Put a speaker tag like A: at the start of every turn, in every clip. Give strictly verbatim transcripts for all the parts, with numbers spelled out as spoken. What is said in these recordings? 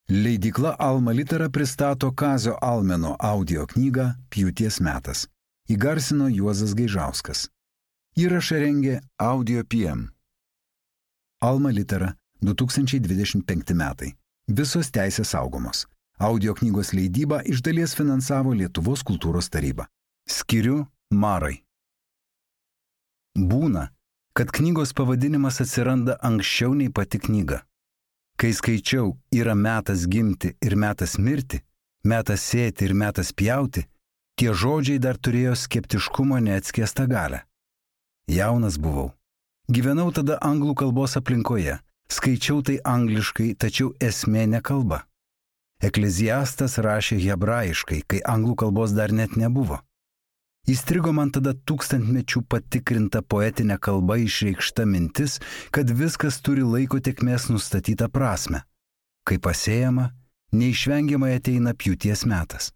A: Leidykla Alma Litera pristato Kazio Almeno audio knygą Pjūties metas. Įgarsino Juozas Gaižauskas. Įrašą rengė Audio P M. Alma Litera du tūkstančiai dvidešimt penkti metai. Visos teisės saugomos. Audio knygos leidybą iš dalies finansavo Lietuvos kultūros taryba. Skiriu Marai. Būna, kad knygos pavadinimas atsiranda anksčiau nei pati knyga. Kai skaičiau yra metas gimti ir metas mirti, metas sėti ir metas pjauti, tie žodžiai dar turėjo skeptiškumo neatskiestą galę. Jaunas buvau. Gyvenau tada anglų kalbos aplinkoje, skaičiau tai angliškai, tačiau esmė ne kalba. Ekleziastas rašė hebrajiškai, kai anglų kalbos dar net nebuvo. Įstrigo man tada tūkstantmečių patikrinta poetinė kalba išreikšta mintis, kad viskas turi laiko tėkmės nustatytą prasme. Kai pasėjama, neišvengiamai ateina pjūties metas.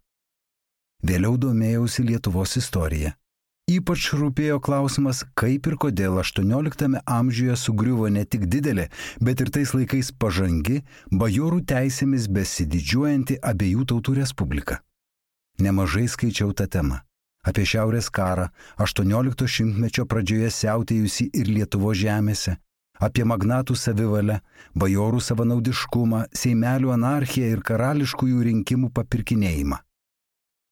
A: Vėliau domėjausi Lietuvos istorija. Ypač rūpėjo klausimas, kaip ir kodėl aštuonioliktame amžiuje sugriuvo ne tik didelė, bet ir tais laikais pažangi, bajorų teisėmis besididžiuojanti abiejų tautų respublika. Nemažai skaičiau tą temą. Apie Šiaurės karą, aštuoniolikto šimtmečio pradžioje siautėjusi ir Lietuvos žemėse, apie magnatų savivalę, bajorų savanaudiškumą, seimelių anarchiją ir karališkųjų rinkimų papirkinėjimą.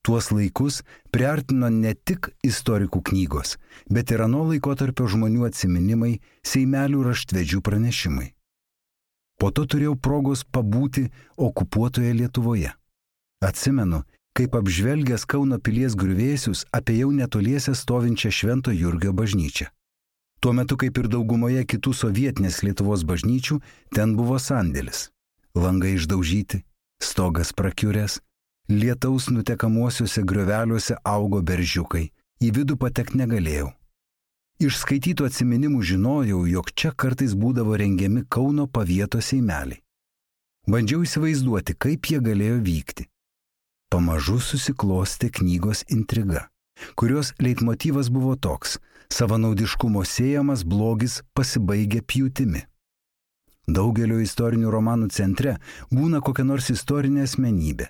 A: Tuos laikus priartino ne tik istorikų knygos, bet ir ano laikotarpio žmonių atsiminimai, seimelių raštvedžių pranešimai. Po to turėjau progos pabūti okupuotoje Lietuvoje. Atsimenu, kaip apžvelgęs Kauno pilies griuvėsius apėjau netoliese stovinčią Švento Jurgio bažnyčią. Tuo metu, kaip ir daugumoje kitų sovietinės Lietuvos bažnyčių, ten buvo sandėlis. Langai išdaužyti, stogas prakiuręs, lietaus nutekamuosiuose grioveliuose augo beržiukai, į vidų patekti negalėjau. Iš skaitytų atsiminimų žinojau, jog čia kartais būdavo rengiami Kauno pavieto seimeliai. Bandžiau įsivaizduoti, kaip jie galėjo vykti. Pamažu susiklostė knygos intriga, kurios leitmotyvas buvo toks: savanaudiškumo sėjamas blogis pasibaigia pjūtimi. Daugelio istorinių romanų centre būna kokia nors istorinė asmenybė.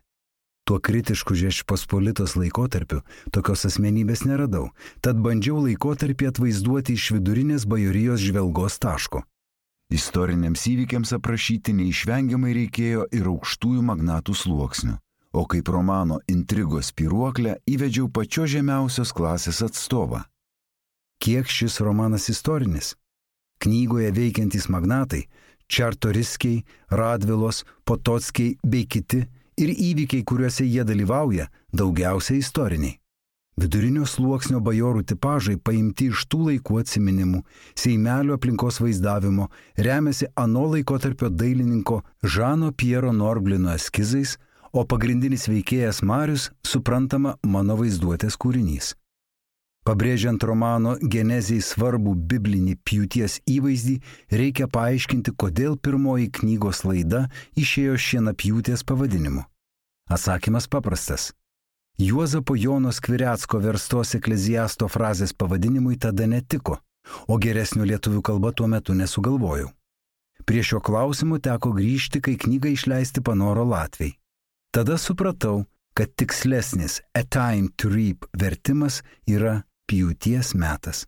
A: Tuo kritišku Žečpospolitos laikotarpiu tokios asmenybės neradau, tad bandžiau laikotarpį atvaizduoti iš vidurinės bajorijos žvelgos taško. Istoriniams įvykiams aprašyti neišvengiamai reikėjo ir aukštųjų magnatų sluoksnių. O kaip romano intrigos spyruoklę įvedžiau pačios žemiausios klasės atstovą. Kiek šis romanas istorinis? Knygoje veikiantys magnatai, Čartoriskiai, Radvilos, Potockiai bei kiti ir įvykiai, kuriuose jie dalyvauja, daugiausiai istoriniai. Vidurinio sluoksnio bajorų tipažai paimti iš tų laikų atsiminimų, seimelių aplinkos vaizdavimo, remiasi ano laikotarpio dailininko Žano Piero Norblino eskizais, o pagrindinis veikėjas Marius suprantama mano vaizduotės kūrinys. Pabrėžiant romano genezijai svarbų biblinį pjūties įvaizdį, reikia paaiškinti, kodėl pirmoji knygos laida išėjo šienapjūtės pavadinimu. Atsakymas paprastas. Juozapo Jono Skvirecko verstos ekleziasto frazės pavadinimui tada netiko, o geresnio lietuvių kalba tuo metu nesugalvojau. Prie šio klausimo teko grįžti, kai knygą išleisti panoro latviai. Tada supratau, kad tikslesnis A Time to Reap vertimas yra Pjūties metas.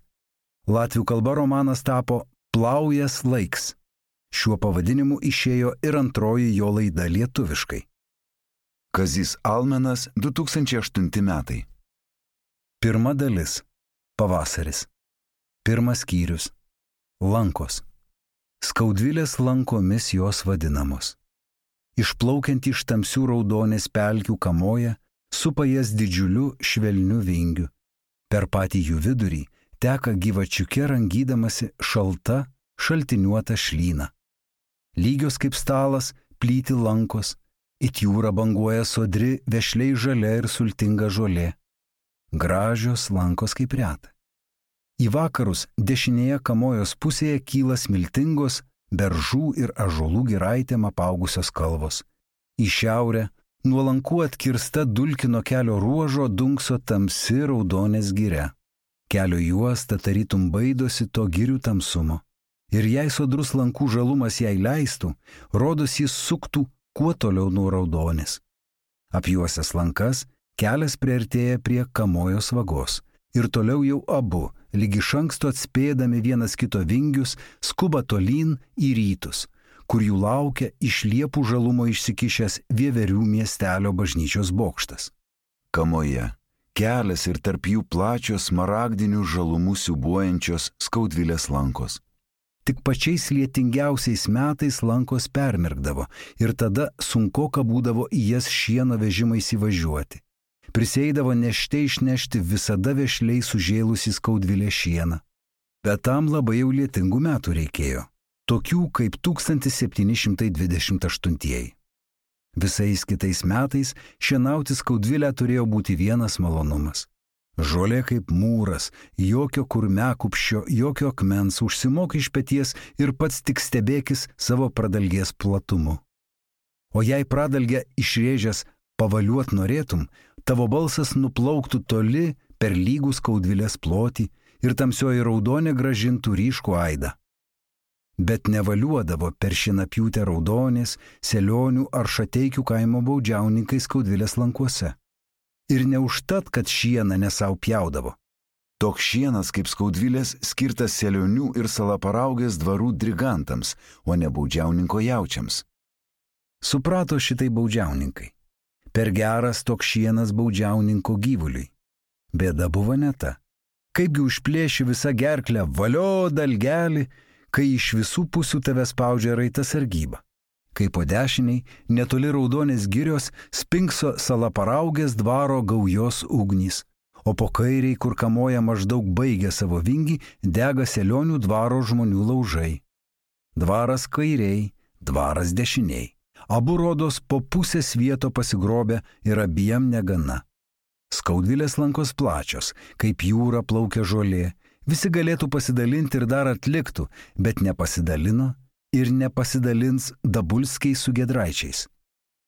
A: Latvių kalba romanas tapo Plaujas laiks. Šiuo pavadinimu išėjo ir antroji jo laida lietuviškai. Kazys Almenas, du tūkstančiai aštunti metai. Pirma dalis. Pavasaris. Pirmas skyrius. Lankos. Skaudvilės lankomis jos vadinamos. Išplaukiant iš tamsių raudonės pelkių kamoja, supa jas didžiuliu švelniu vingiu. Per patį jų vidurį teka gyvačiuke rangydamasi šalta, šaltiniuota šlyna. Lygios kaip stalas plyti lankos, it jūra banguoja sodri, vešliai žalia ir sultinga žolė. Gražios lankos kaip reta. Į vakarus dešinėje kamojos pusėje kyla smiltingos, beržų ir ąžuolų giraitėm apaugusios kalvos. Į šiaurę, nuo lankų atkirsta dulkino kelio ruožo dunkso tamsi raudonės giria. Kelio juosta tarytum baidosi to girių tamsumo. Ir jei sodrus lankų žalumas jai leistų, rodos jis suktų kuo toliau nuo Raudonės. Apjuosęs lankas, kelias priartėja prie Kamojos vagos ir toliau jau abu, lyg iš anksto atspėdami vienas kito vingius, skuba tolyn į rytus, kur jų laukia iš liepų žalumo išsikišęs Vieverių miestelio bažnyčios bokštas. Kamoje kelias ir tarp jų plačios smaragdinių žalumų siūbuojančios Skaudvilės lankos. Tik pačiais lietingiausiais metais lankos permirkdavo ir tada sunkoka būdavo į jas šieno vežimais įvažiuoti. Prisėdavo nešte išnešti visada vešliai sužėlusi Skaudvilė šieną. Bet tam labai jau lietingų metų reikėjo, tokių kaip tūkstantis septyni šimtai dvidešimt aštuntieji. Visais kitais metais šienauti Skaudvilę turėjo būti vienas malonumas. Žolė kaip mūras, jokio kurmekupščio, jokio akmens, užsimok iš peties ir pats tik stebėkis savo pradalgės platumu. O jei pradalgę išrėžęs pavaliuot norėtum, tavo balsas nuplauktų toli per lygų Skaudvilės plotį ir tamsioji Raudonė gražintų ryškų aidą. Bet nevaliuodavo per šienapjūtę Raudonės, Selionių ar Šateikių kaimo baudžiauninkai Skaudvilės lankuose. Ir neužtat, kad šieną nesau pjaudavo. Toks šienas kaip Skaudvilės skirtas Selionių ir Salaparaugės dvarų drigantams, o ne baudžiauninko jaučiams. Suprato šitai baudžiauninkai. Per geras toks šienas baudžiauninko gyvuliui. Bėda buvo ne ta. Kaipgi užplėši visą gerklę, valio dalgelį, kai iš visų pusių tave spaudžia raita sargyba. Kai po dešiniai, netoli Raudonės girios, spinkso Salaparaugės dvaro gaujos ugnys, o po kairiai, kur Kamoja maždaug baigia savo vingį, dega Selionių dvaro žmonių laužai. Dvaras kairiai, dvaras dešiniai. Abu rodos po pusės vieto pasigrobę ir abiem negana. Skaudvilės lankos plačios, kaip jūra plaukia žolė. Visi galėtų pasidalinti ir dar atliktų, bet nepasidalino ir nepasidalins Dabulskiai su Giedraičiais.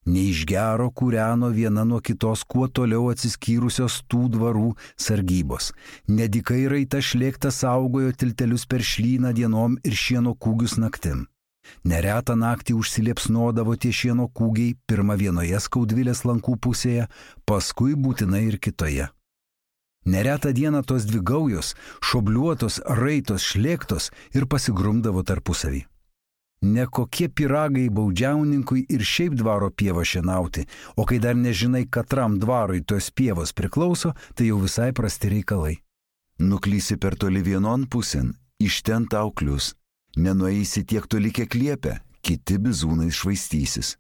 A: Neiš gero kūreno viena nuo kitos kuo toliau atsiskyrusios tų dvarų sargybos. Nedikai raita šlėkta saugojo tiltelius per šlyną dienom ir šieno kūgius naktim. Neretą naktį užsiliepsnodavo tie šieno kūgiai pirma vienoje Skaudvilės lankų pusėje, paskui būtinai ir kitoje. Neretą dieną tos dvi gaujos, šobliuotos, raitos, šlėktos ir pasigrumdavo tarpusavį. Ne kokie pyragai baudžiauninkui ir šiaip dvaro pievą šienauti, o kai dar nežinai, katram dvarui tos pievos priklauso, tai jau visai prasti reikalai. Nuklysi per toli vienon pusėn, iš ten tau klius. Nenueisi tiek toli, kiek liepia, kiti bizūnai švaistysis.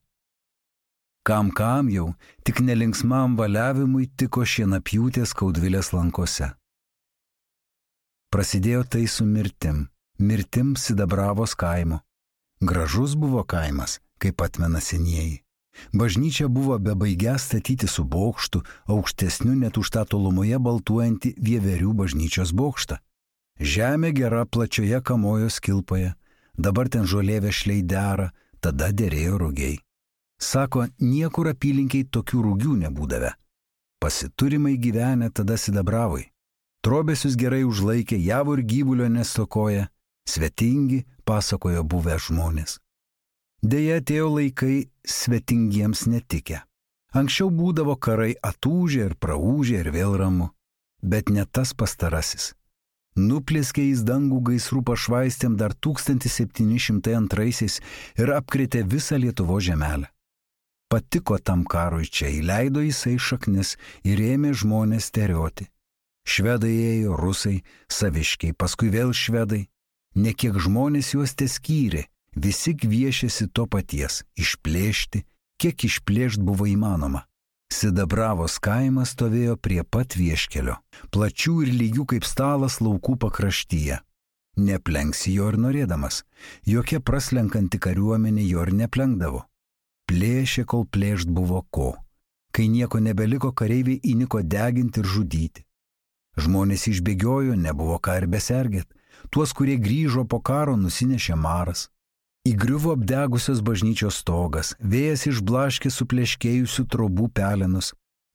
A: Kam kam jau, tik nelinksmam valiavimui tiko šienapjūtė Skaudvilės lankose. Prasidėjo tai su mirtim, mirtim Sidabravos kaimo. Gražus buvo kaimas, kaip atmena senieji. Bažnyčia buvo bebaigia statyti su bokštu, aukštesniu net už tą tolumoje baltuojantį Vieverių bažnyčios bokštą. Žemė gera plačioje Kamojos kilpoje, dabar ten žolė vešliai dera, tada derėjo rugiai. Sako, niekur apylinkiai tokių rugių nebūdavę. Pasiturimai gyvenę tada Sidabravui. Trobesius gerai užlaikė, javų ir gyvulio nestokoja, svetingi, pasakojo buvę žmonės. Deja, atėjo laikai svetingiems netikę. Anksčiau būdavo karai atūžė ir praūžė ir vėl ramu, bet ne tas pastarasis. Nuplėskė į dangų gaisrų pašvaistėm dar tūkstantis septyni šimtai antraisiais ir apkrėtė visą Lietuvo žemelę. Patiko tam karui čia, įleido jisai šaknis ir ėmė žmonės terioti. Švedai ėjo, rusai, saviškiai, paskui vėl švedai. Nekiek žmonės juos teskyrė, visi kviešėsi to paties – išplėšti, kiek išplėšt buvo įmanoma. Sidabravos kaimas stovėjo prie pat vieškelio, plačių ir lygių kaip stalas laukų pakraštyje. Neplenksi jo ir norėdamas, jokia praslenkanti kariuomenė jo ir neplenkdavo. Plėšė, kol plėšt buvo ko. Kai nieko nebeliko, kareiviai įniko deginti ir žudyti. Žmonės išbėgiojo, nebuvo ką ir besergėt. Tuos, kurie grįžo po karo, nusinešė maras. Įgriuvo apdegusios bažnyčios stogas, vėjas išblaškė supleškėjusių trobų pelenus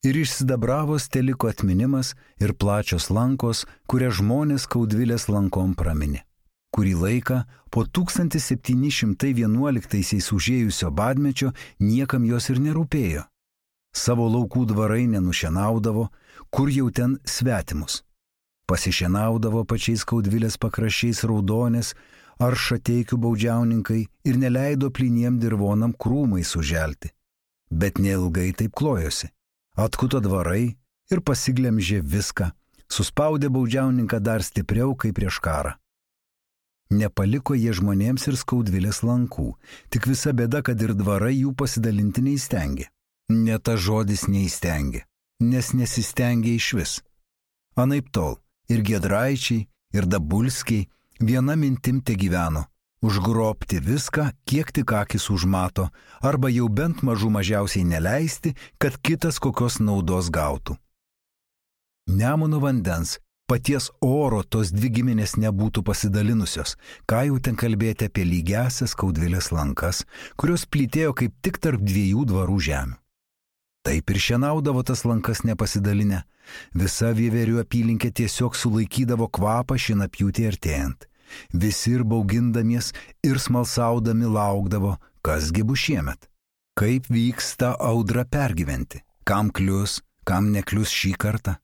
A: ir iš Sidabravos teliko atminimas ir plačios lankos, kurią žmonės Skaudvilės lankom praminė. Kurį laiką po tūkstantis septyni šimtai vienuoliktaisiais užėjusio badmečio niekam jos ir nerūpėjo. Savo laukų dvarai nenušienaudavo, kur jau ten svetimus. Pasišienaudavo pačiais Skaudvilės pakraščiais Raudonės ar Šateikių baudžiauninkai ir neleido plyniem dirvonam krūmai suželti. Bet neilgai taip klojosi. Atkuto dvarai ir pasiglemžė viską, suspaudė baudžiauninką dar stipriau kaip prieš karą. Nepaliko jie žmonėms ir Skaudvilės lankų, tik visa bėda, kad ir dvarai jų pasidalinti neįstengė. Ne ta žodis neįstengė, nes nesistengė išvis. Anaiptol ir Giedraičiai, ir Dabulskiai viena mintim te gyveno – užgrobti viską, kiek tik akis užmato, arba jau bent mažų mažiausiai neleisti, kad kitas kokios naudos gautų. Nemuno vandens, paties oro tos dvi giminės nebūtų pasidalinusios, ką jau ten kalbėti apie lygiąsias Skaudvilės lankas, kurios plytėjo kaip tik tarp dviejų dvarų žemių. Taip ir šienaudavo tas lankas nepasidalinę. Visa Vieverių apylinkė tiesiog sulaikydavo kvapą šienapjūtį artėjant. Visi ir baugindamies, ir smalsaudami laukdavo, kasgi bus šiemet. Kaip vyks tą audrą pergyventi, kam klius, kam neklius šį kartą.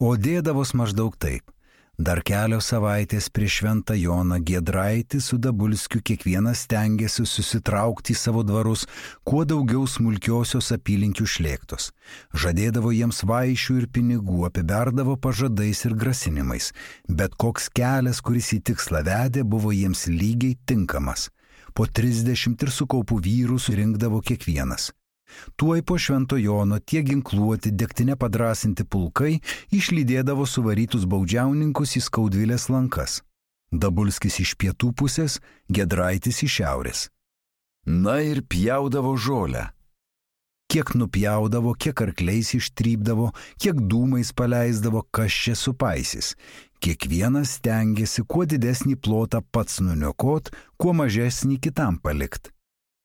A: O dėdavos maždaug taip. Dar kelios savaitės prieš Šventą Joną Giedraitis su Dabulskiu kiekvienas stengėsi susitraukti į savo dvarus kuo daugiau smulkiosios apylinkių šlėktos. Žadėdavo jiems vaišių ir pinigų, apiberdavo pažadais ir grasinimais, bet koks kelias, kuris į tikslą vedė, buvo jiems lygiai tinkamas. Po trisdešimt ir su kaupu vyrų surinkdavo kiekvienas. Tuoj po Švento Jono tie ginkluoti, degtine padrasinti pulkai išlydėdavo suvarytus baudžiauninkus į Skaudvilės lankas. Dabulskis iš pietų pusės, Giedraitis iš šiaurės. Na ir pjaudavo žolę. Kiek nupjaudavo, kiek arkliais ištrypdavo, kiek dūmais paleisdavo, kas čia supaisys. Kiekvienas stengiasi kuo didesnį plotą pats nuniokot, kuo mažesnį kitam palikt.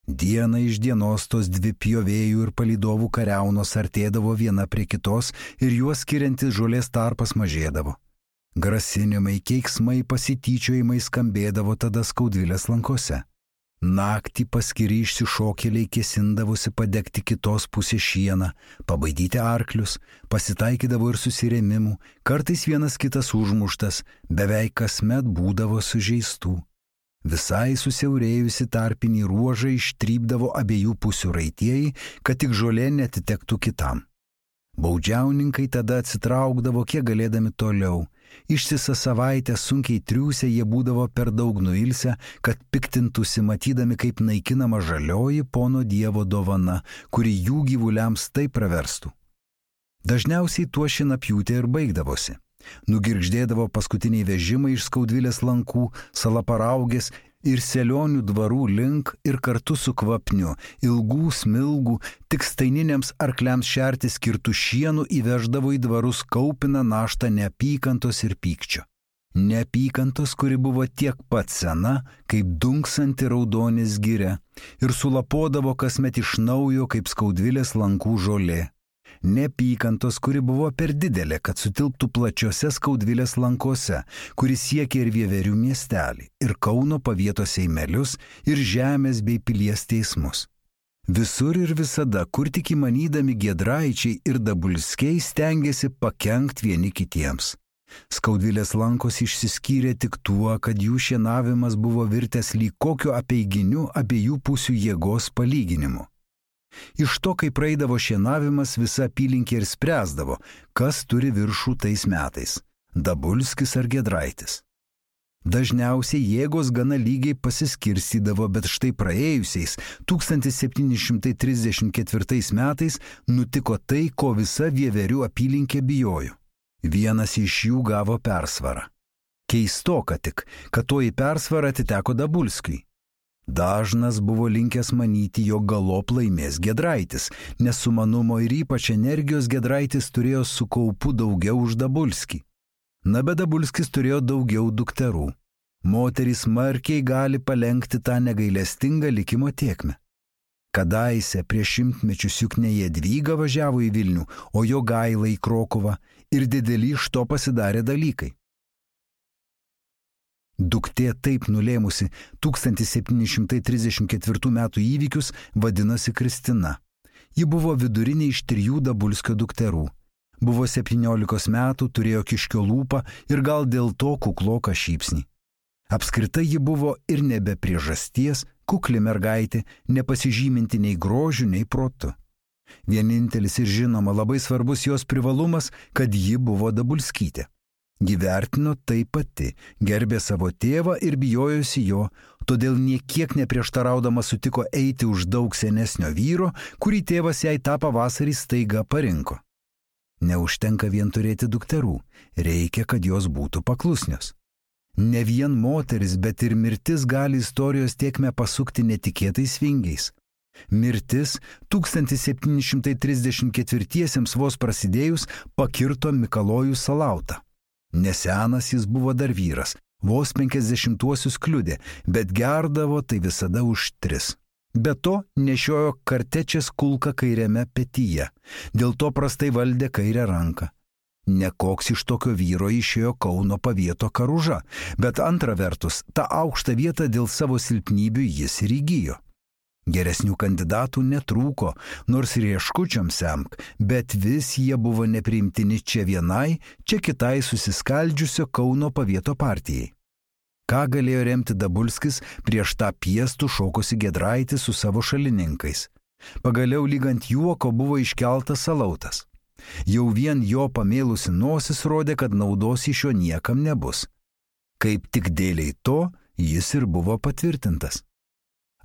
A: Diena iš dienos tos dvi pjovėjų ir palydovų kariaunos artėdavo viena prie kitos ir juos skiriantis žolės tarpas mažėdavo. Grasinimai, keiksmai, pasityčiojimai skambėdavo tada Skaudvilės lankose. Naktį paskiri išsišokėliai kėsindavosi padegti kitos pusės šieną, pabaidyti arklius, pasitaikydavo ir susirėmimų, kartais vienas kitas užmuštas, beveik kasmet būdavo sužeistų. Visai susiaurėjusi tarpinį ruožą ištrypdavo abiejų pusių raitieji, kad tik žolė netitektų kitam. Baudžiauninkai tada atsitraukdavo kiek galėdami toliau. Ištisą savaitę sunkiai triūsę jie būdavo per daug nuilsę, kad piktintųsi matydami, kaip naikinama žalioji pono Dievo dovana, kuri jų gyvuliams taip praverstų. Dažniausiai tuo šienapjūtė ir baigdavosi. Nugirgždėdavo paskutiniai vežimai iš Skaudvilės lankų, Salaparaugės ir Selionių dvarų link ir kartu su kvapniu, ilgų smilgų, tik staininiams arkliams šerti skirtų šienų įveždavo į dvarus kaupiną naštą neapykantos ir pykčio. Neapykantos, kuri buvo tiek pat sena, kaip dunksanti Raudonės giria ir sulapodavo kasmet iš naujo kaip Skaudvilės lankų žolė. Neapykantos, kuri buvo per didelė, kad sutilptų plačiose Skaudvilės lankose, kuris siekė ir Vieverių miestelį, ir Kauno pavietos seimelius, ir žemės bei pilies teismus. Visur ir visada, kur tik įmanydami Giedraičiai ir Dabulskiai stengėsi pakenkt vieni kitiems. Skaudvilės lankos išsiskyrė tik tuo, kad jų šienavimas buvo virtęs lyg kokio apeiginiu abiejų pusių jėgos palyginimu. Iš to, kai praeidavo šienavimas, visa apylinkė ir spręsdavo, kas turi viršų tais metais – Dabulskis ar Giedraitis. Dažniausiai jėgos gana lygiai pasiskirstydavo, bet štai praėjusiais tūkstantis septyni šimtai trisdešimt ketvirtais metais nutiko tai, ko visa Vieverių apylinkė bijojo. Vienas iš jų gavo persvarą. Keistoka tik, kad toji persvara atiteko Dabulskiui. Dažnas buvo linkęs manyti, jog galop laimės Giedraitis, nes sumanumo ir ypač energijos Giedraitis turėjo su kaupu daugiau už Dabulskį. Na, bet Dabulskis turėjo daugiau dukterų. Moterys smarkiai gali palenkti tą negailestingą likimo tėkmę. Kadaise prieš šimtmečius juk ne Jadvyga važiavo į Vilnių, o Jogaila į Krokuvą ir dideli iš to pasidarė dalykai. Duktė taip nulėmusi tūkstantis septyni šimtai trisdešimt ketvirtų metų įvykius vadinasi Kristina. Ji buvo vidurinė iš trijų Dabulskio dukterų. Buvo septyniolikos metų, turėjo kiškio lūpą ir gal dėl to kukloką šypsnį. Apskritai ji buvo ir nebe priežasties, kukli mergaitė, nepasižyminti nei grožiu, nei protu. Vienintelis ir žinoma labai svarbus jos privalumas, kad ji buvo Dabulskytė. Ji vertino tai pati, gerbė savo tėvą ir bijojosi jo, todėl niekiek neprieštaraudama sutiko eiti už daug senesnio vyro, kurį tėvas jai tą pavasarį staiga parinko. Neužtenka vien turėti dukterų, reikia, kad jos būtų paklusnios. Ne vien moteris, bet ir mirtis gali istorijos tėkmę pasukti netikėtais vingiais. Mirtis tūkstantis septyni šimtai trisdešimt ketvirtiesiems vos prasidėjus pakirto Mikalojų Salautą. Nesenas jis buvo dar vyras, vos penkiasdešimtuosius kliudė, bet gerdavo tai visada už tris. Be to nešiojo kartečės kulką kairiame petyje, dėl to prastai valdė kairę ranką. Nekoks iš tokio vyro išėjo Kauno pavieto Karuža, bet antra vertus, tą aukštą vietą dėl savo silpnybių jis ir įgijo. Geresnių kandidatų netrūko, nors rieškučiom semk, bet vis jie buvo nepriimtini čia vienai, čia kitai susiskaldžiusio Kauno pavieto partijai. Ką galėjo remti Dabulskis prieš tą piestų šokosi Giedraitis su savo šalininkais? Pagaliau lyg ant juoko buvo iškeltas Salautas. Jau vien jo pamėlusi nosis rodė, kad naudos iš jo niekam nebus. Kaip tik dėliai to, jis ir buvo patvirtintas.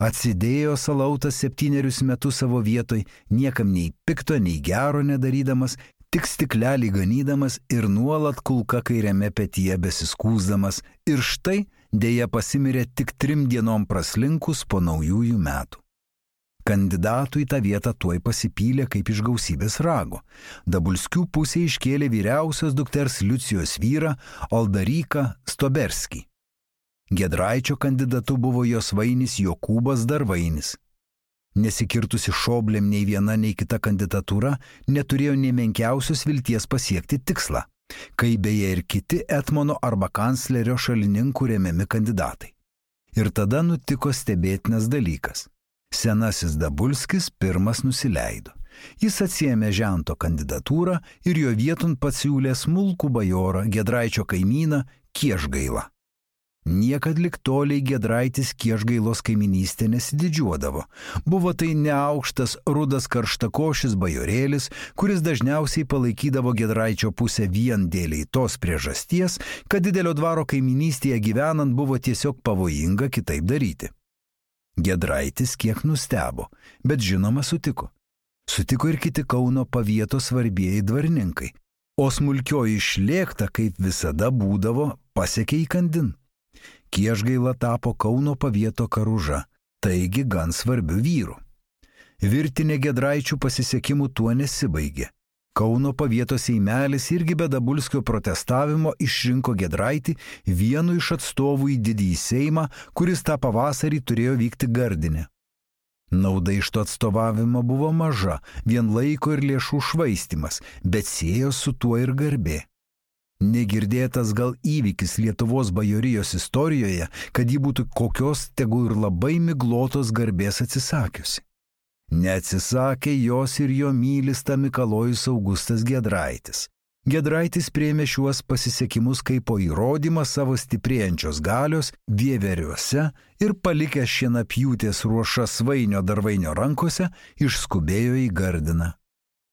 A: Atsidėjo Salautas septynerius metus savo vietoj, niekam nei pikto, nei gero nedarydamas, tik stiklelį ganydamas ir nuolat kulka kairiame petyje besiskūsdamas, ir štai dėja pasimirė tik trim dienom praslinkus po naujųjų metų. Kandidatų į tą vietą tuoj pasipylė kaip iš gausybės rago. Dabulskių pusė iškėlė vyriausios dukters Liucijos vyrą Aldaryką Stoberskį. Giedraičio kandidatu buvo jos vainis Jokūbas Darvainis. Nesikirtusi šoblėm nei viena, nei kita kandidatūra neturėjo nei menkiausios vilties pasiekti tikslą, kai beje ir kiti etmono arba kanclerio šalininkų remiami kandidatai. Ir tada nutiko stebėtinas dalykas. Senasis Dabulskis pirmas nusileido. Jis atsiėmė žento kandidatūrą ir jo vieton pasiūlė smulkų bajorą, Giedraičio kaimyną Kiešgailą. Niekad lik toliai Giedraitis Kiešgailos kaiminystė nesididžiuodavo. Buvo tai neaukštas, rudas karštakošis bajorėlis, kuris dažniausiai palaikydavo Giedraičio pusę vien dėliai tos priežasties, kad didelio dvaro kaiminystėje gyvenant buvo tiesiog pavojinga kitaip daryti. Giedraitis kiek nustebo, bet žinoma sutiko. Sutiko ir kiti Kauno pavieto svarbieji dvarininkai, o smulkioji šlėkta, kaip visada būdavo, pasiekė įkandin. Kiešgaila tapo Kauno pavieto Karuža, taigi gan svarbių vyrų. Virtinė Giedraičių pasisekimų tuo nesibaigė. Kauno pavieto seimelis irgi be Dabulskio protestavimo išrinko Giedraitį vienu iš atstovų į didįjį seimą, kuris tą pavasarį turėjo vykti Gardine. Nauda iš to atstovavimo buvo maža, vien laiko ir lėšų švaistymas, bet siejo su tuo ir garbė. Negirdėtas gal įvykis Lietuvos bajorijos istorijoje, kad ji būtų kokios tegu ir labai miglotos garbės atsisakiusi. Neatsisakė jos ir jo mylis Mikalojus Augustas Giedraitis. Giedraitis priėmė šiuos pasisekimus kaip po įrodymą savo stiprėjančios galios Vieveriuose ir palikęs šienapjūtės ruošas Svainio Darvainio rankose, išskubėjo į Gardiną.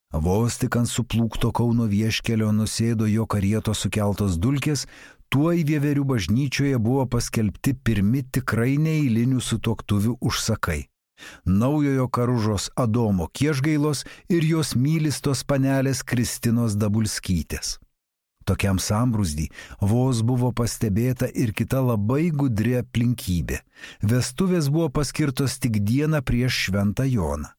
A: Vos tik ant suplūkto Kauno vieškelio nusėdo jo karieto sukeltos dulkės, tuoj Vieverių bažnyčioje buvo paskelbti pirmi tikrai neeilinių sutuoktuvių užsakai. Naujojo Karužos Adomo Kiešgailos ir jos mylistos panelės Kristinos Dabulskytės. Tokiam sambrūzdį vos buvo pastebėta ir kita labai gudri aplinkybė. Vestuvės buvo paskirtos tik dieną prieš Šventą Joną.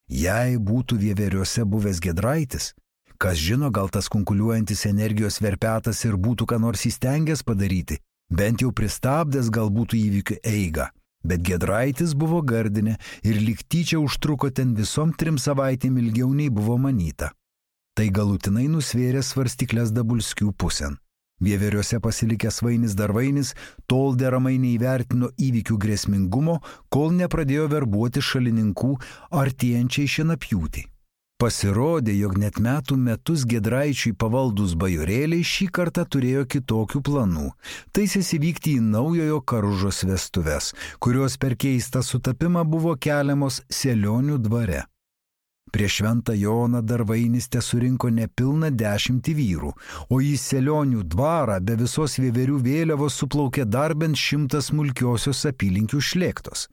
A: Jei būtų Vieveriuose buvęs Giedraitis, kas žino, gal tas kunkuliuojantis energijos verpetas ir būtų ką nors įstengęs padaryti, bent jau pristabdęs gal būtų įvykių eigą. Bet Giedraitis buvo Gardine ir lyg tyčia užtruko ten visom trim savaitėm ilgiau nei buvo manyta. Tai galutinai nusvėrė svarstyklės Dabulskių pusėn. Vieveriuose pasilikęs Vainis Darvainis tol deramai neįvertino įvykių grėsmingumo, kol nepradėjo verbuoti šalininkų artėjančiai šienapjūtei. Pasirodė, jog net metų metus Giedraičiui pavaldus bajorėliai šį kartą turėjo kitokių planų. Taisėsi vykti į naujojo Karužos vestuves, kurios per keistą sutapimą buvo keliamos Selionių dvare. Prieš Šventą Joną Darvainis tesurinko nepilną dešimtį vyrų, o į Selionių dvarą be visos vieverių vėliavos suplaukė dar bent šimtas smulkiosios apylinkių šlėktos.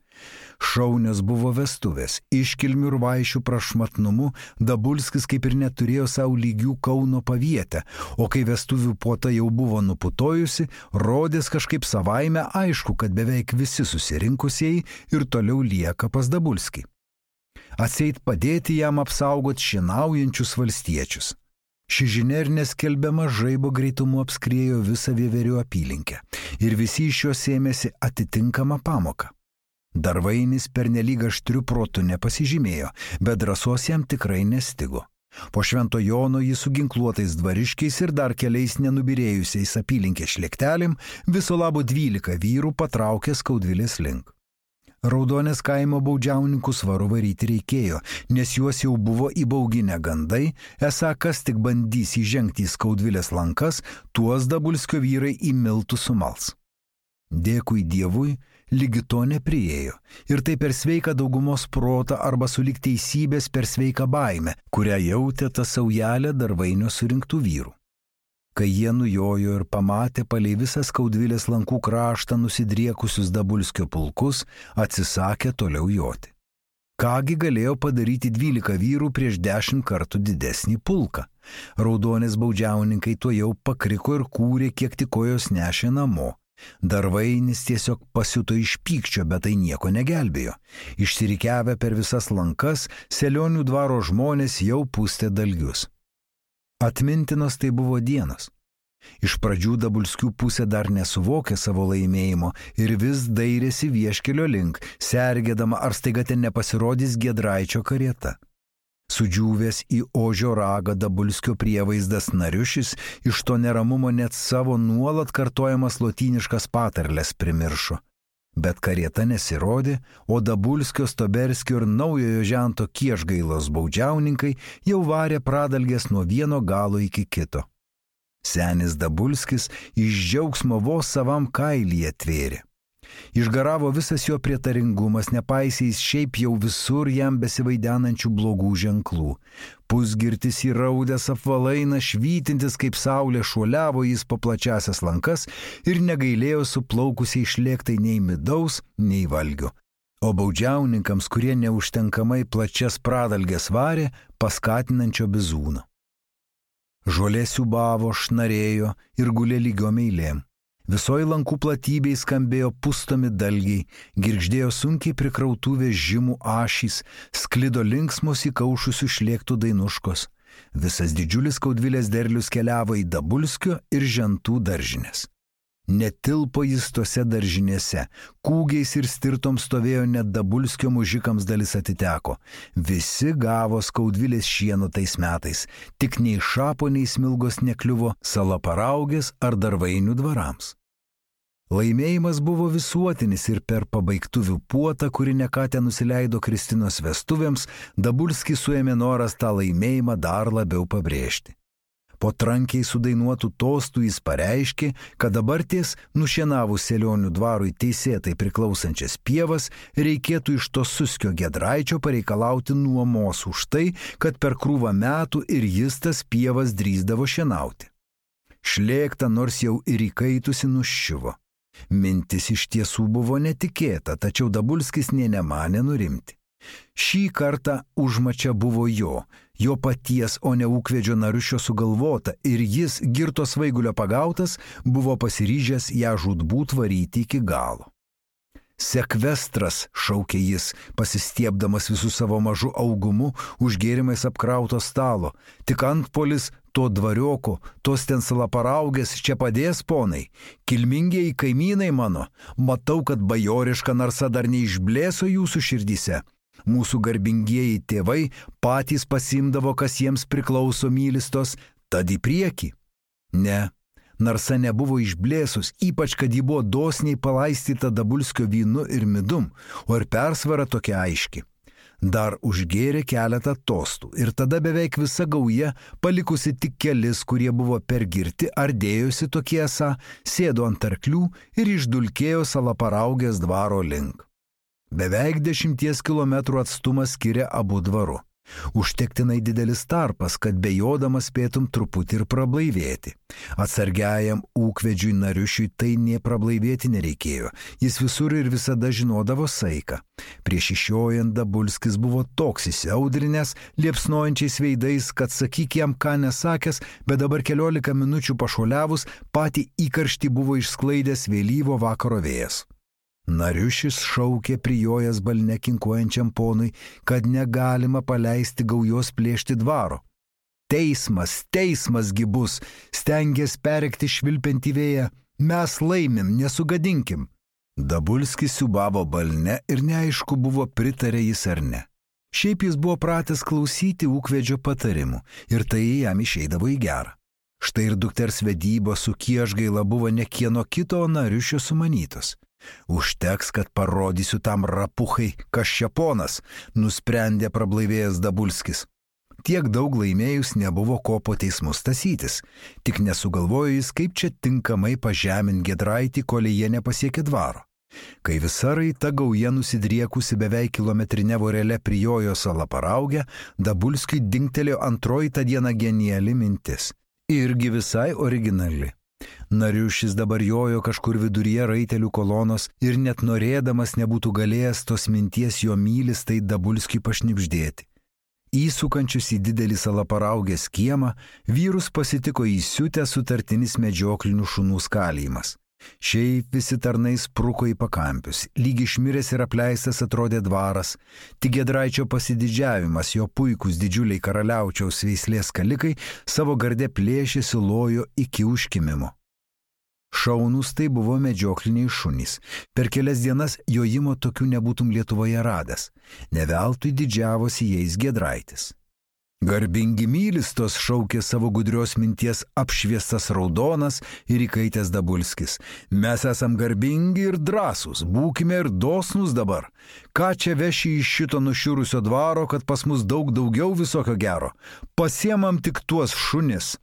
A: Šaunios buvo vestuvės, iškilmių ir vaišių prašmatnumu Dabulskis kaip ir neturėjo savo lygių Kauno pavietę, o kai vestuvių puota jau buvo nuputojusi, rodės kažkaip savaime aišku, kad beveik visi susirinkusieji ir toliau lieka pas Dabulskį. Atseit padėti jam apsaugot šienaujančius valstiečius. Ši žinia ir neskelbiama žaibo greitumu apskriejo visą vieverių apylinkę ir visi iš jos ėmėsi atitinkamą pamoką. Darvainis pernelyg aštriu protu nepasižymėjo, bet drąsos jam tikrai nestigo. Po Švento Jono jis su ginkluotais dvariškiais ir dar keliais nenubirėjusiais apylinkės šlėktelėm viso labo dvylika vyrų patraukė Skaudvilės link. Raudonės kaimo baudžiauninkų svaru varyti reikėjo, nes juos jau buvo įbauginę gandai, esą kas tik bandys įžengti į Skaudvilės lankas, tuos Dabulskio vyrai į miltų sumals. Dėkui Dievui, lygi to nepriėjo, ir tai per sveiką daugumos protą arba sulig teisybės per sveiką baimę, kurią jautė ta saujelė Darvainio surinktų vyrų. Kai jie nujojo ir pamatė palei visą Skaudvilės lankų kraštą nusidriekusius Dabulskio pulkus, atsisakė toliau joti. Kągi galėjo padaryti dvylika vyrų prieš dešimt kartų didesnį pulką? Raudonės baudžiauninkai tuo jau pakriko ir kūrė, kiek tik kojos nešė namo. Darvainis tiesiog pasiuto iš pykčio, bet tai nieko negelbėjo. Išsirikiavę per visas lankas, Selionių dvaro žmonės jau pūstė dalgius. Atmintinos tai buvo dienos. Iš pradžių Dabulskių pusė dar nesuvokė savo laimėjimo ir vis dairėsi vieškelio link, sergėdama, ar staiga ten nepasirodys Giedraičio karieta. Sudžiūvęs į ožio ragą Dabulskio prievaizdas Nariušis iš to neramumo net savo nuolat kartojamas lotyniškas patarles primiršo. Bet karieta nesirodė, o Dabulskio, Stoberskio ir naujojo žento Kiešgailos baudžiauninkai jau varė pradalgės nuo vieno galo iki kito. Senis Dabulskis iš džiaugsmo vos savam kailyje tvėrė. Išgaravo visas jo prietaringumas, nepaisys šiaip jau visur jam besivaidenančių blogų ženklų. Pusgirtis įraudęs apvalaina švytintis kaip saulė šuoliavo jis po plačiasias lankas ir negailėjo suplaukusiai šlėktai nei midaus, nei valgio. O baudžiauninkams, kurie neužtenkamai plačias pradalgės varė, paskatinančio bizūno. Žolė siūbavo, šnarėjo ir gulė lygiom eilėm. Visoj lankų platybėj skambėjo pustomi dalgiai, girgždėjo sunkiai prikrautų vežimų ašys, sklido linksmos įkaušusių šlėktų dainuškos. Visas didžiulis Skaudvilės derlius keliavo į Dabulskio ir žentų daržinės. Netilpo jis tose daržinėse, kūgiais ir stirtom stovėjo net Dabulskio mužikams dalis atiteko. Visi gavo Skaudvilės šieno tais metais, tik nei šapo, nei smilgos nekliuvo Salaparaugės ar Darvainių dvarams. Laimėjimas buvo visuotinis ir per pabaigtuvių puotą, kuri nekatę nusileido Kristinos vestuvėms, Dabulskį suėmė noras tą laimėjimą dar labiau pabrėžti. Po trankiai sudainuotų tostų jis pareiškė, kad dabar ties nušienavus Selionių dvarui teisėtai priklausančias pievas reikėtų iš to Suskio Giedraičio pareikalauti nuomos už tai, kad per krūvą metų ir jis tas pievas drįsdavo šienauti. Šlėkta nors jau ir įkaitusi nuščiuvo. Mintis iš tiesų buvo netikėta, tačiau Dabulskis nė nemanė nurimti. Šį kartą užmačia buvo jo, jo paties, o ne ūkvedžio Nariušio sugalvota, ir jis, girto svaigulio pagautas, buvo pasiryžęs ją žūtbūt varyti iki galo. Sekvestras, šaukė jis, pasistiebdamas visų savo mažu augumu už gėrimais apkrauto stalo, tik antpolis to dvarioko, tos ten Salaparaugės čia padės, ponai, kilmingieji kaimynai mano, matau, kad bajoriška narsa dar neišblėso jūsų širdyse. Mūsų garbingieji tėvai patys pasimdavo, kas jiems priklauso mylistos, tad į priekį. Ne, Narsa nebuvo išblėsus, ypač kad ji buvo dosniai palaistyta Dabulskio vynu ir midum, o ir persvara tokia aiški. Dar užgėrė keletą tostų ir tada beveik visa gauja, palikusi tik kelis, kurie buvo pergirti ar dėjosi tokie esą, sėdo ant arklių ir išdulkėjo Salaparaugės dvaro link. Beveik dešimties kilometrų atstumas skiria abu dvaru. Užtektinai didelis tarpas, kad bejodamas spėtum truputį ir prablaivėti. Atsargiajam ūkvedžiui Nariušiui tai nė prablaivėti nereikėjo, jis visur ir visada žinodavo saiką. Prieš išiojant Dabulskis buvo toks įsiaudrinęs, liepsnojančiais veidais, kad sakyk jam ką nesakęs, bet dabar keliolika minučių pašuoliavus, patį įkarštį buvo išsklaidęs vėlyvo vakaro vėjas. Nariušis šaukė prijojęs balne kinkuojančiam ponui, kad negalima paleisti gaujos plėšti dvaro. Teismas, teismas gi bus, stengės perrėkti švilpiantį vėją, mes laimim, nesugadinkim. Dabulskis siūbavo balne ir neaišku buvo pritarė jis ar ne. Šiaip jis buvo pratęs klausyti ūkvedžio patarimų ir tai jam išeidavo į gerą. Štai ir dukters vedybos su Kiežgaila buvo ne kieno kito Nariušio sumanytos. Užteks, kad parodysiu tam rapuchai, kas čia ponas, nusprendė prablaivėjęs Dabulskis. Tiek daug laimėjus nebuvo ko po teismus tasytis, tik nesugalvojo jis, kaip čia tinkamai pažemint Giedraitį, kol jie nepasiekė dvaro. Kai visa raita gauja nusidriekusi beveik kilometrinė vorelė prijojo Salaparaugę, Dabulskiui dingtelėjo antroji tą dieną geniali mintis. Irgi visai originali. Nariušis dabar jojo kažkur viduryje raitelių kolonos ir net norėdamas nebūtų galėjęs tos minties jo mylis tai Dabulskiui pašnibždėti. Įsukančius į didelį Salaparaugės kiemą, vyrus pasitiko įsiutę sutartinis medžioklinių šunų skalijimas. Šiaip visi tarnai spruko į pakampius, lyg išmiręs ir apleistas atrodė dvaras, tik Giedraičio pasididžiavimas, jo puikūs didžiuliai karaliaučiaus veislės kalikai savo garde plėšėsi lojo iki užkimimo. Šaunus tai buvo medžiokliniai šunys. Per kelias dienas jojimo tokių nebūtum Lietuvoje radęs. Neveltui didžiavosi jais Giedraitis. Garbingi mylistos, šaukė savo gudrios minties apšviestas raudonas ir įkaitęs Dabulskis. Mes esam garbingi ir drąsūs, būkime ir dosnus dabar. Ką čia veši iš šito nušiurusio dvaro, kad pas mus daug daugiau visokio gero? Pasiemam tik tuos šunis.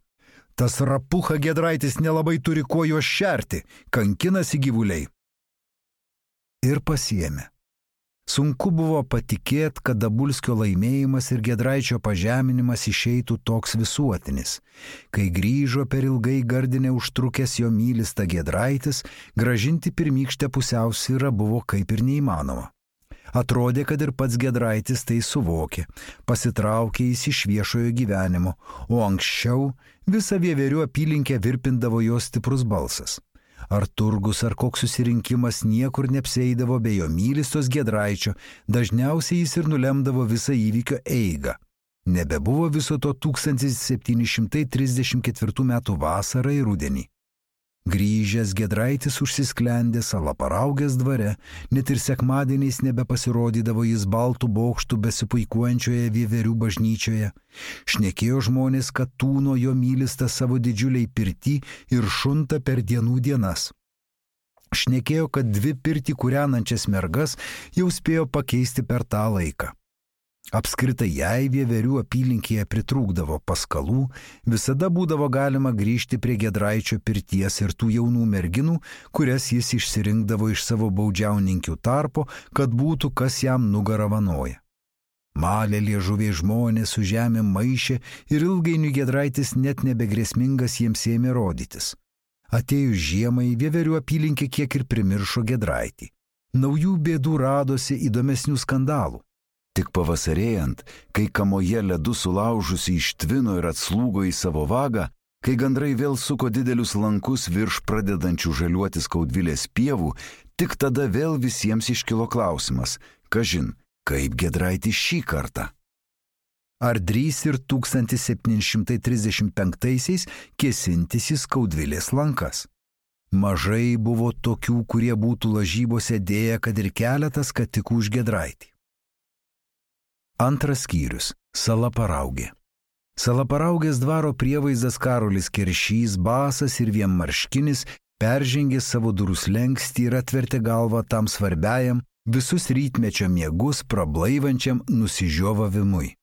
A: Tas rapucha Giedraitis nelabai turi kuo juos šerti, kankinasi gyvuliai. Ir pasiėmė. Sunku buvo patikėti, kad Dabulskio laimėjimas ir Giedraičio pažeminimas išeitų toks visuotinis. Kai grįžo per ilgai gardinę užtrukęs jo mylista Giedraitis, grąžinti pirmykštę pusiausvyrą buvo kaip ir neįmanoma. Atrodė, kad ir pats Giedraitis tai suvokė, pasitraukė jis iš viešojo gyvenimo, o anksčiau visą Vieverių apylinkę virpindavo jo stiprus balsas. Ar turgus, ar koks susirinkimas niekur neapsieidavo be jo mylistos Giedraičio, dažniausiai jis ir nulemdavo visą įvykio eigą. Nebebuvo viso to tūkstantis septyni šimtai trisdešimt ketvirtų metų vasarą ir rudenį. Grįžęs Giedraitis užsisklendė Salaparaugės dvare, net ir sekmadieniais nebepasirodydavo jis baltų bokštų besipuikuojančioje Vieverių bažnyčioje. Šnekėjo žmonės, kad tūno jo mylista savo didžiuliai pirtį ir šunta per dienų dienas. Šnekėjo, kad dvi pirtį kūrenančias mergas jau spėjo pakeisti per tą laiką. Apskritai, jei Vieverių apylinkėje pritrūkdavo paskalų, visada būdavo galima grįžti prie Giedraičio pirties ir tų jaunų merginų, kurias jis išsirinkdavo iš savo baudžiauninkių tarpo, kad būtų kas jam nugarą vanoja. Malė liežuviai žmonės su žemė maišė ir ilgainiui Giedraitis net nebegrėsmingas jiems ėmė rodytis. Atėjus žiemai, Vieverių apylinkė kiek ir primiršo Giedraitį. Naujų bėdų radosi, įdomesnių skandalų. Tik pavasarėjant, kai kamoje ledu sulaužusi ištvino ir atslūgo į savo vagą, kai gandrai vėl suko didelius lankus virš pradedančių žaliuotis Skaudvilės pievų, tik tada vėl visiems iškilo klausimas, kažin, kaip Giedraitis šį kartą. Ar drįs ir tūkstantis septyni šimtai trisdešimt penktaisiais kėsintis į Skaudvilės lankas? Mažai buvo tokių, kurie būtų lažybose dėję, kad ir keletas katikų už Giedraitį. Antras skyrius – Salaparaugė. Salaparaugės dvaro prievaizdas Karolis Keršys, basas ir vienmarškinis, peržengė savo durų slenkstį ir atvertė galvą tam svarbiajam, visus rytmečio miegus prablaivančiam nusižiovavimui.